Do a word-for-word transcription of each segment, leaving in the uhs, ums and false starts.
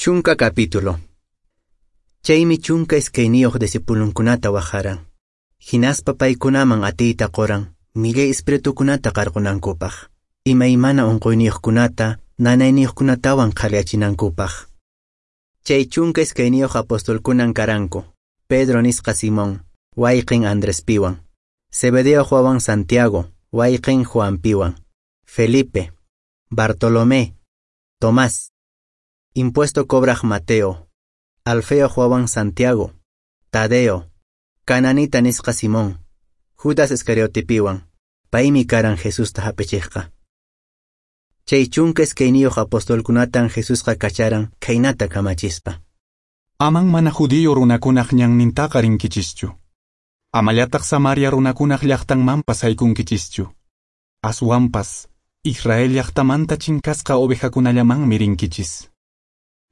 Chunka capítulo. Chaymi chunka iskayniyuq discipulunkunata waqharan. Hinaspa paykunaman atiyta quran millay espiritukunata qarqunankupaq, imaymana unquyniyuqkunata, nanayniyuqkunatawan qhaliyachinankupaq. Chay chunka iskayniyuq apostolkunan karanku, Pedro nisqa Simón, wayqin Andrespiwan, Zebedeo wawan Santiago, wayqin Juanpiwan, Felipe, Bartolomé, Tomás, impuesto cobraq Mateo, Alfeo wawan Santiago, Tadeo, Cananita nisqa Simón, Judas Iscariotepiwan, paymi karan Jesusta hap'ichiqqa. Chay chunka iskayniyuq apostolkunatan Jesusqa kacharan khaynata kamachispa. Aman mana judío runakunaq ñannintaqa rinkichischu. Amallataq Samaria runakunaq llaqtanmanpas haykunkichischu. Aswanpas, Israel llaqtamanta chinkasqa ovejakunallamanmi rinkichis.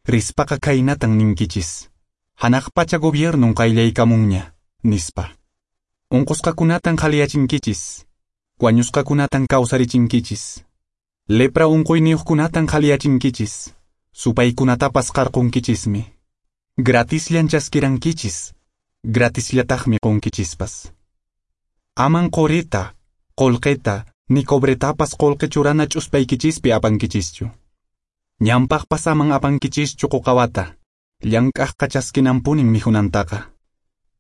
Rispaqa khaynatan ninkichis. Hanaq pacha gobiernun qayllaykamunña, nispa. Unqusqakunatan qhaliyachinkichis. Wañusqakunatan kawsarichinkichis. Lepra unquyniyuqkunatan qhaliyachinkichis. Supaykunatapas qarqunkichismi. Gratisllan chaskirankichis. Gratisllataqmi qunkichispas. Aman qorita, qolqeta, ni cobretapas qolqe churana ch'uspaykichispi apankichischu. Ñanpaqpas aman apankichischu quqawata, llank'aqqa chaskinanpunin mikhunantaqa.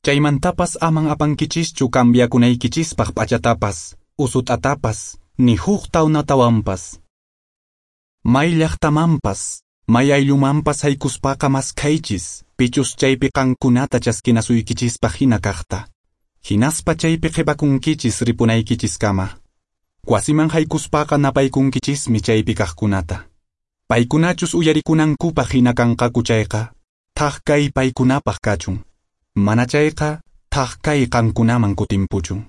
Chaymantapas aman apankichischu cambiakunaykichispaq p'achatapas, usut'atapas, ni huk tawnatawanpas. May llaqtamanpas, may ayllumanpas haykuspaqa maskhaychis, pichus chaypi qankunata chaskinasuykichispaq hina kaqta. Hinaspa chaypi qhipakunkichis ripunaykichiskama. Wasiman haykuspaqa napaykunkichismi chaypi kaqkunata. Paykunachus uyarikunankupaq hina kanqaku chayqa, thak kay paykunapaq kachun. Mana chayqa, thak kay qankunaman kutimpuchun.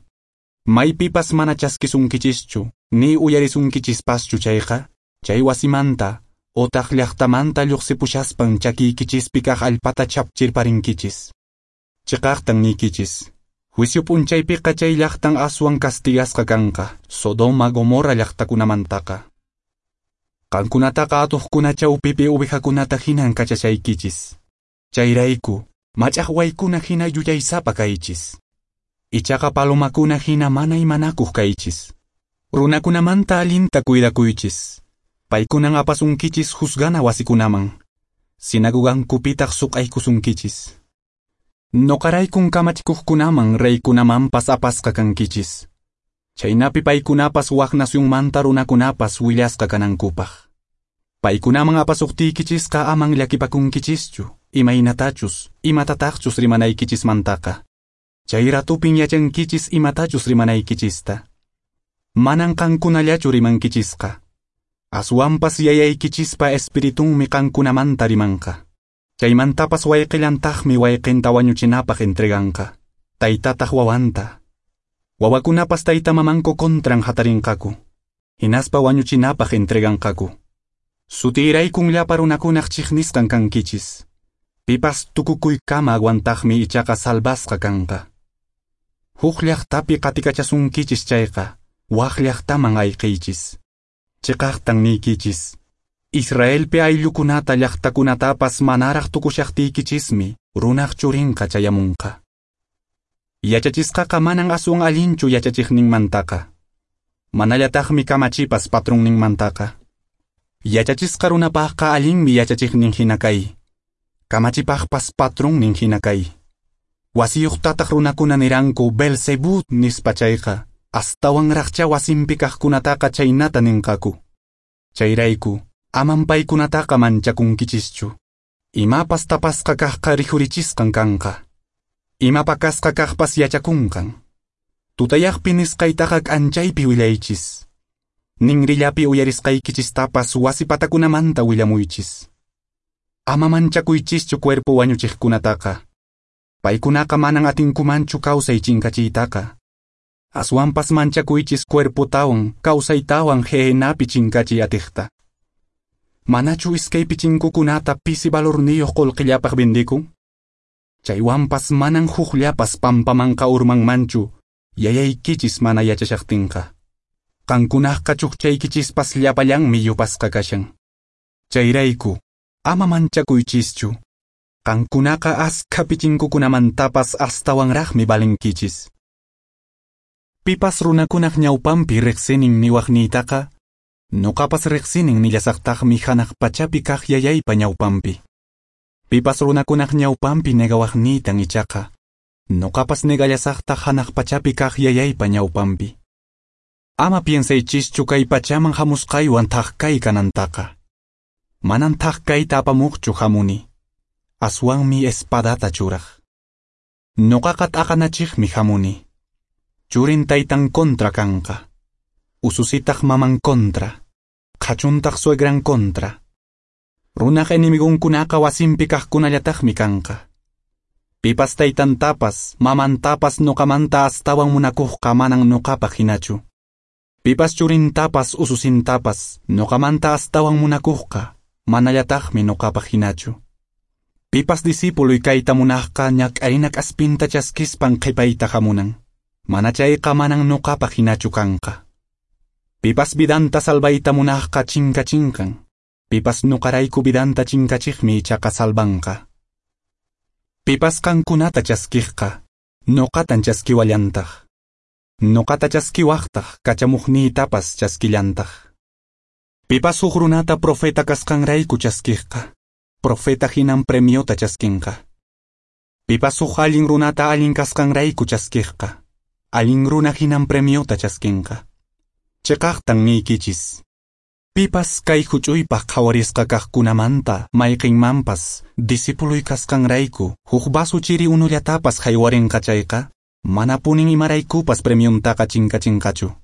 Maypipas mana chaskisunkichischu, ni uyarisunkichispaschu chayqa, chay wasimanta, otaq llaqtamanta lluqsipushaspan chakiykichispi kaq allpata chapchirparinkichis. Chiqaqtan niykichis, juicio p'unchaypiqa chay llaqtan aswan castigasqa kanqa, Sodoma Gomorra llaqtakunamantaqa. Qankunataqa atuqkuna chawpipi ovejakunata hinan kachashaykichis. Chayrayku, mach'aqwaykuna hina yuyaysapa kaychis. Ichaqa palomakuna hina mana imanakuq kaychis. Runakunamanta allinta cuidakuychis. Paykunan apasunkichis juzgana wasikunaman. Sinagogankupitaq suq'aykusunkichis. Noqaraykun kamachikuqkunaman reykunamanpas apasqa kankichis. Chaynapi paykunapas wak nacionmanta runakunapas willasqa kanankupaq. Paykunaman apasuqtiykichisqa aman llakipakunkichischu, imaynatachus, imatataqchus rimanaykichismantaqa. Chay ratupin yachankichis imatachus rimanaykichista. Manan qankunallachu rimankichisqa. Aswanpas yayaykichispa espiritunmi qankunamanta rimanqa. Chaymantapas wayqillantaqmi wayqinta wañuchinapaq entreganqa. Taytataq wawanta. Wawakunapas tayta mamanku contran hatarinqaku. Hinaspa wañuchinapaq entreganqaku. Sutiyraykun llapa runakunaq chiqnisqan kankichis. Pipas tukukuykama aguantaqmi ichaqa salvasqa kanqa. Huk llaqtapi qatikachasunkichis chayqa, wak llaqtaman ayqiychis. Chiqaqtan niykichis. Israelpi ayllukunata llaqtakunatapas manaraq tukushaqtiykichismi runaq churinqa chayamunqa. Yachachisqaqa manan aswan allinchu yachachiqninmantaqa. Manallataqmi kamachipas patronninmantaqa. Yachachisqa runapaqqa allinmi yachachiqnin hina kay. Kamachipaqpas patronnin hina kay. Wasiyuqtataq runakuna niranku Belzebú nispa chayqa, astawanraqcha wasinpi kaqkunataqa chaynata ninqaku. Chayrayku, aman paykunataqa manchakunkichischu. Imapas tapasqa kaqqa rikhurichisqan kanqa. Ima pakasqa kaqpas yachakunqan. Tutayaqpi nisqaytaqa k'anchaypi willaychis. Ninrillapi uyarisqaykichistapas wasi patakunamanta willamuychis. Ama manchakuychischu cuerpo wañuchiqkunataqa. Paykunaqa manan atinkumanchu kawsay chinkachiytaqa. Aswanpas manchakuychis cuerpotawan kawsaytawan Gehenapi chinkachiy atiqta. Manachu iskay pichinkukunata pisi valorniyuq qullqillapaq vendikun? Chaywanpas manan hukllapas pampamanqa urmanmanchu, yayaykichis mana yachashaqtinqa. Qankunaqqa chukchaykichispas llapallanmi yupasqa kashan. Chayrayku, Ama manchakuychischu. Qankunaqa askha pichinkukunamantapas astawanraqmi valenkichis. Pipas runakunaq ñawpanpi riqsinin niwaqniytaqa, nuqapas riqsinin nillasaqtaqmi hanaq pachapi kaq yayaypa ñawpanpi. Pipas runakunaq ñawpanpi negawaqniytan ichaqa, nuqapas negallasaqtaq hanaq pachapi kaq yayaypa ñawpanpi. Ama piensaychischu kay pachaman hamusqaywan thak kay kanantaqa. Manan thak kayta apamuqchu hamuni. Aswanmi espadata churaq. Nuqaqa t'aqanachiqmi hamuni. Churin taytan contra kanqa. Ususitaq maman contra. Qhachuntaq suegran contra. Runaq enemigunkunaqa wasinpi kaqkunallataqmi kanqa. Pipas taytantapas, mamantapas nuqamanta astawan munakuqqa manan nuqapaq hinachu. Pipas churintapas ususintapas nuqamanta astawan munakuqqa manallataqmi nuqapaq hinachu. Pipas discípuloy kayta munaqqa ñak'arina k'aspinta chaskispan qhipayta hamunan. Mana chayqa manan nuqapaq hinachu kanqa. Pipas vidanta salvayta munaqqa chinkachinqan. Pipas nuqarayku vidanta chinkachiqmi ichaqa salvanqa. Pipas qankunata chaskiqqa, nuqatan chaskiwallantaq. Nuqata chaskiwaqtaq kachamuqniytapas chaskillantaq. Pipas huk runata profeta kasqanrayku chaskiqqa, profeta hinan premiota chaskinqa. Pipas huk allin runata allin kasqanrayku chaskiqqa, allin runa hinan premiota chaskinqa. Chiqaqtan niykichis. Pipas kay huch'uypaq qhawarisqa kaqkunamanta mayqinmanpas discípuloy kasqanrayku huk vaso chiri unullatapas haywarinqa chayqa, manapunin imaraykupas premiontaqa chinkachinqachu.